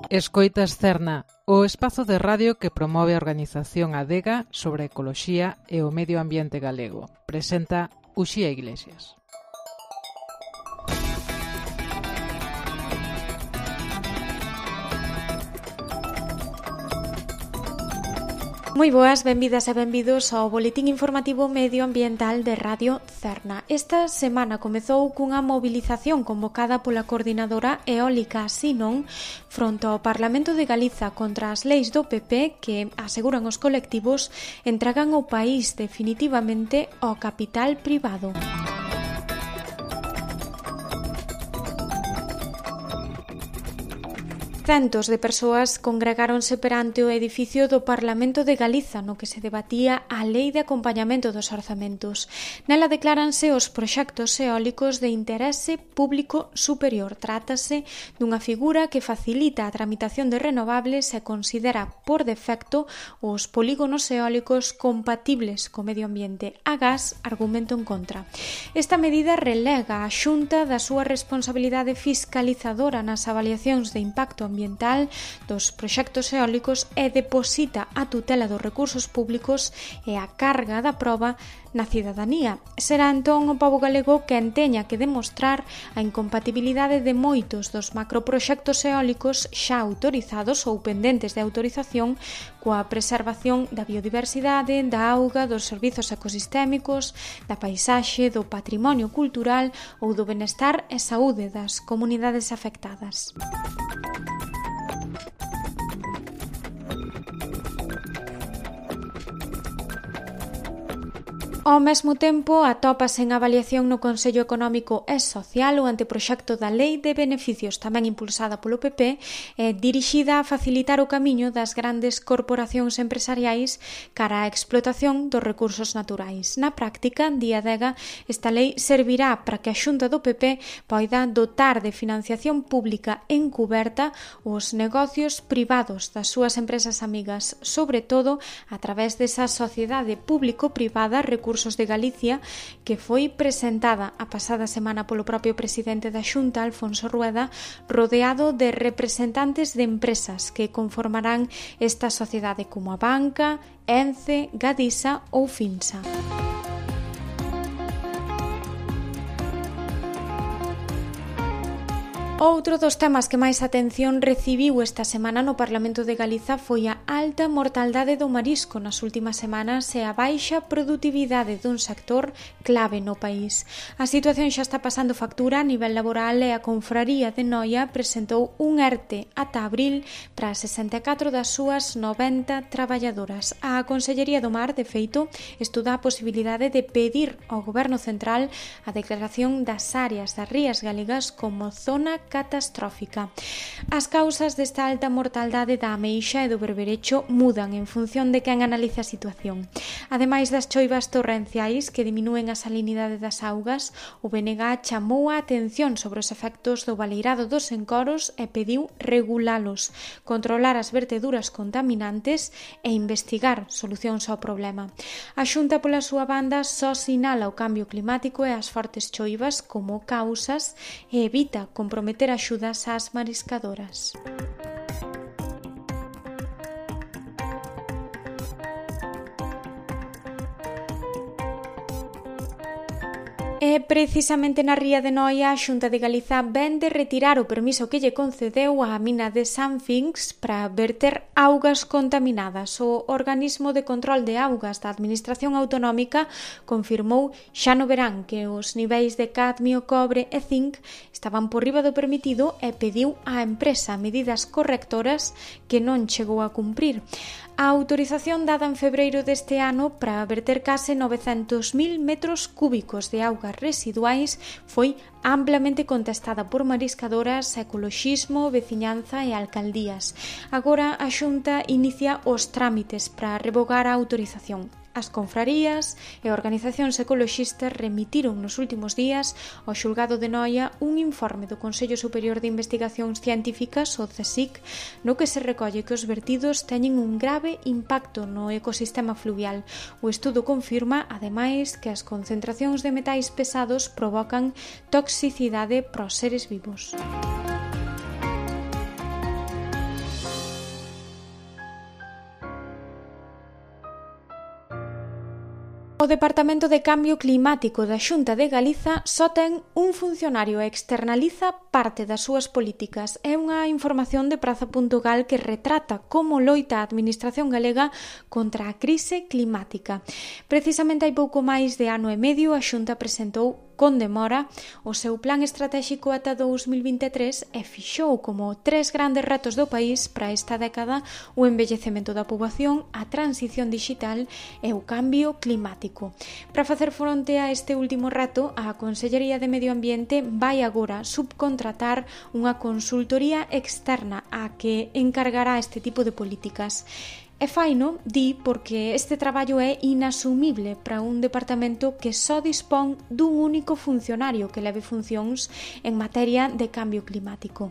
Escoitas Cerna, o espazo de radio que promove a organización Adega sobre a ecoloxía e o medio ambiente galego. Presenta Uxía Iglesias. Moi boas, benvidas e benvidos ao Boletín Informativo Medioambiental de Radio Cerna. Esta semana comezou cunha mobilización convocada pola Coordinadora Eólica Sinon fronte ao Parlamento de Galiza contra as leis do PP que, aseguran os colectivos, entregan o país definitivamente ao capital privado. Centos de persoas congregáronse perante o edificio do Parlamento de Galiza no que se debatía a Lei de Acompañamento dos Orzamentos. Nela decláranse os proxectos eólicos de interese público superior. Trátase dunha figura que facilita a tramitación de renovables e considera por defecto os polígonos eólicos compatibles co medio ambiente. Agás argumento en contra. Esta medida relega a Xunta da súa responsabilidade fiscalizadora nas avaliacións de impacto ambiental dos proxectos eólicos e deposita a tutela dos recursos públicos e a carga da proba na cidadanía. Será entón o pobo galego quen teña que demostrar a incompatibilidade de moitos dos macroproxectos eólicos xa autorizados ou pendentes de autorización coa preservación da biodiversidade, da auga, dos servizos ecosistémicos, da paisaxe, do patrimonio cultural ou do benestar e saúde das comunidades afectadas. Ao mesmo tempo, atópase en avaliación no Consello Económico e Social o anteproxecto da Lei de Beneficios, tamén impulsada polo PP, dirixida a facilitar o camiño das grandes corporacións empresariais cara á explotación dos recursos naturais. Na práctica, di Adega, esta lei servirá para que a Xunta do PP poida dotar de financiación pública encuberta os negocios privados das súas empresas amigas, sobre todo a través desa sociedade público-privada Recursos de Galicia, que foi presentada a pasada semana polo propio presidente da Xunta, Alfonso Rueda, rodeado de representantes de empresas que conformarán esta sociedade como a Banca, Ence, Gadisa ou Finsa. Outro dos temas que máis atención recibiu esta semana no Parlamento de Galiza foi a alta mortaldade do marisco nas últimas semanas e a baixa produtividade dun sector clave no país. A situación xa está pasando factura a nivel laboral e a Confraría de Noia presentou un ERTE ata abril para 64 das súas 90 traballadoras. A Consellería do Mar, de feito, estuda a posibilidade de pedir ao Goberno Central a declaración das áreas das rías galegas como zona catastrófica. As causas desta alta mortaldade da ameixa e do berberecho mudan en función de quen analiza a situación. Ademais das choivas torrenciais que diminúen a salinidade das augas, o BNG chamou a atención sobre os efectos do baleirado dos encoros e pediu regulalos, controlar as verteduras contaminantes e investigar solucións ao problema. A Xunta, pola súa banda, só sinala o cambio climático e as fortes choivas como causas e evita comprometer axudas ás mariscadoras. E precisamente na ría de Noia, a Xunta de Galiza ven de retirar o permiso que lle concedeu á mina de San Finx para verter augas contaminadas. O organismo de control de augas da Administración Autonómica confirmou xa no verán que os niveis de cadmio, cobre e zinc estaban por riba do permitido e pediu á empresa medidas correctoras que non chegou a cumprir. A autorización dada en febreiro deste ano para verter case 900.000 metros cúbicos de augas residuais foi amplamente contestada por mariscadoras, ecoloxismo, veciñanza e alcaldías. Agora a Xunta inicia os trámites para revogar a autorización. As confrarías e organizacións ecoloxistas remitiron nos últimos días ao Xulgado de Noia un informe do Consello Superior de Investigacións Científicas, o CSIC, no que se recolle que os vertidos teñen un grave impacto no ecosistema fluvial. O estudo confirma, ademais, que as concentracións de metais pesados provocan toxicidade para os seres vivos. O Departamento de Cambio Climático da Xunta de Galiza só ten un funcionario e externaliza parte das súas políticas. É unha información de Praza.gal que retrata como loita a Administración galega contra a crise climática. Precisamente hai pouco máis de ano e medio a Xunta presentou con demora o seu plan estratégico ata 2023 e fixou como 3 grandes retos do país para esta década o envellecemento da poboación, a transición digital e o cambio climático. Para facer fronte a este último reto, a Consellería de Medio Ambiente vai agora subcontratar unha consultoría externa a que encargará este tipo de políticas. E faino, di, porque este traballo é inasumible para un departamento que só dispón dun único funcionario que leve funcións en materia de cambio climático.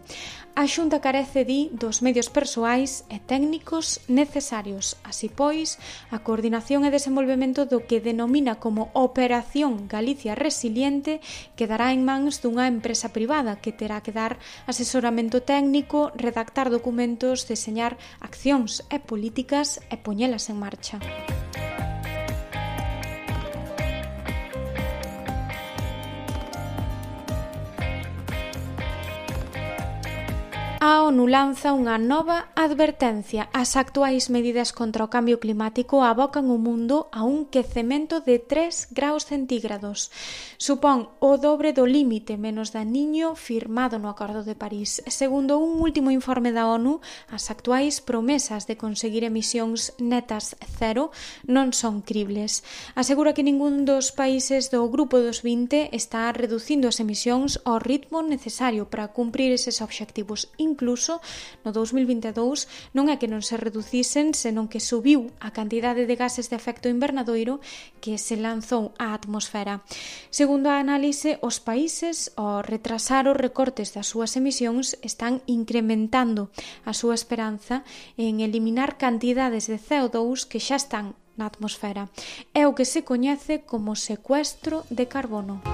A Xunta carece, di, dos medios persoais e técnicos necesarios. Así pois, a coordinación e desenvolvemento do que denomina como Operación Galicia Resiliente quedará en mans dunha empresa privada que terá que dar asesoramento técnico, redactar documentos, deseñar accións e políticas e poñelas en marcha. A ONU lanza unha nova advertencia. As actuais medidas contra o cambio climático abocan o mundo a un quecemento de 3 graus centígrados. Supón o dobre do límite menos daniño firmado no Acordo de París. Segundo un último informe da ONU, as actuais promesas de conseguir emisións netas cero non son cribles. Asegura que ningún dos países do Grupo dos 20 está reducindo as emisións ao ritmo necesario para cumprir eses obxectivos. Incluso no 2022 non é que non se reducisen, senón que subiu a cantidade de gases de efecto invernadoiro que se lanzou á atmosfera. Segundo a análise, os países, ao retrasar os recortes das súas emisións, están incrementando a súa esperanza en eliminar cantidades de CO2 que xa están na atmosfera. É o que se coñece como secuestro de carbono.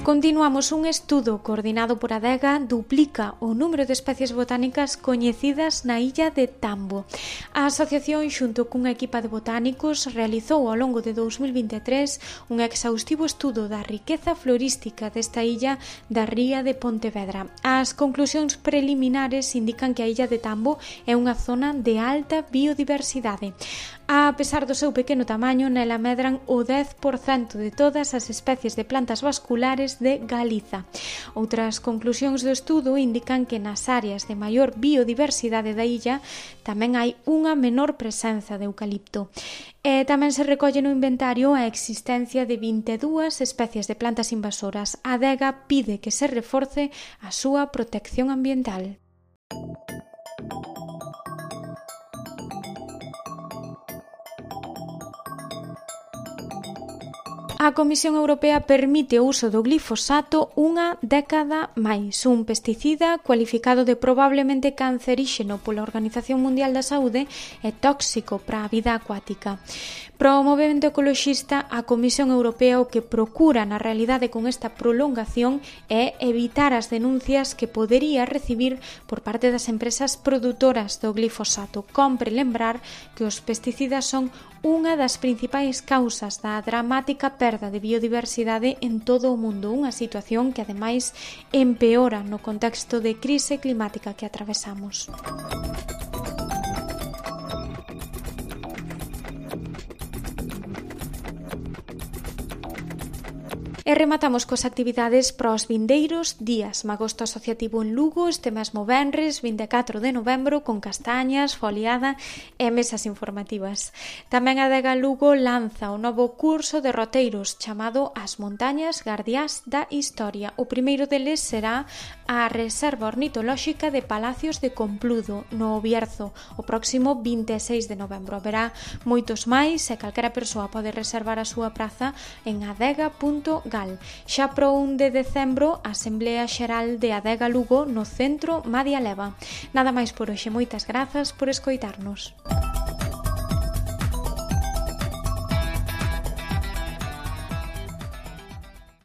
Continuamos. Un estudo coordinado por Adega duplica o número de especies botánicas coñecidas na illa de Tambo. A asociación, xunto cunha equipa de botánicos, realizou ao longo de 2023 un exhaustivo estudo da riqueza florística desta illa da ría de Pontevedra. As conclusións preliminares indican que a illa de Tambo é unha zona de alta biodiversidade. A pesar do seu pequeno tamaño, nela medran o 10% de todas as especies de plantas vasculares de Galiza. Outras conclusións do estudo indican que nas áreas de maior biodiversidade da illa tamén hai unha menor presenza de eucalipto. E tamén se recolle no inventario a existencia de 22 especies de plantas invasoras. A Adega pide que se reforce a súa protección ambiental. A Comisión Europea permite o uso do glifosato unha década máis. Un pesticida cualificado de probablemente canceríxeno pola Organización Mundial da Saúde e tóxico para a vida acuática. Para o movemento ecoloxista, a Comisión Europea o que procura na realidade con esta prolongación é evitar as denuncias que podería recibir por parte das empresas produtoras do glifosato. Compre lembrar que os pesticidas son unha das principais causas da dramática perda de biodiversidade en todo o mundo, unha situación que ademais empeora no contexto de crise climática que atravesamos. E rematamos coas actividades para os vindeiros días. Magosto asociativo en Lugo este mesmo venres 24 de novembro con castañas, foliada e mesas informativas. Tamén a Adega Lugo lanza o novo curso de roteiros chamado As Montañas Gardiás da Historia. O primeiro deles será a Reserva Ornitolóxica de Palacios de Compludo, no Bierzo, o próximo 26 de novembro. Haberá moitos máis e calquera persoa pode reservar a súa praza en adega.gal. Xa pro 1 de decembro, a Asamblea Xeral de Adega Lugo no Centro Madia Leva. Nada máis por hoxe, moitas grazas por escoitarnos.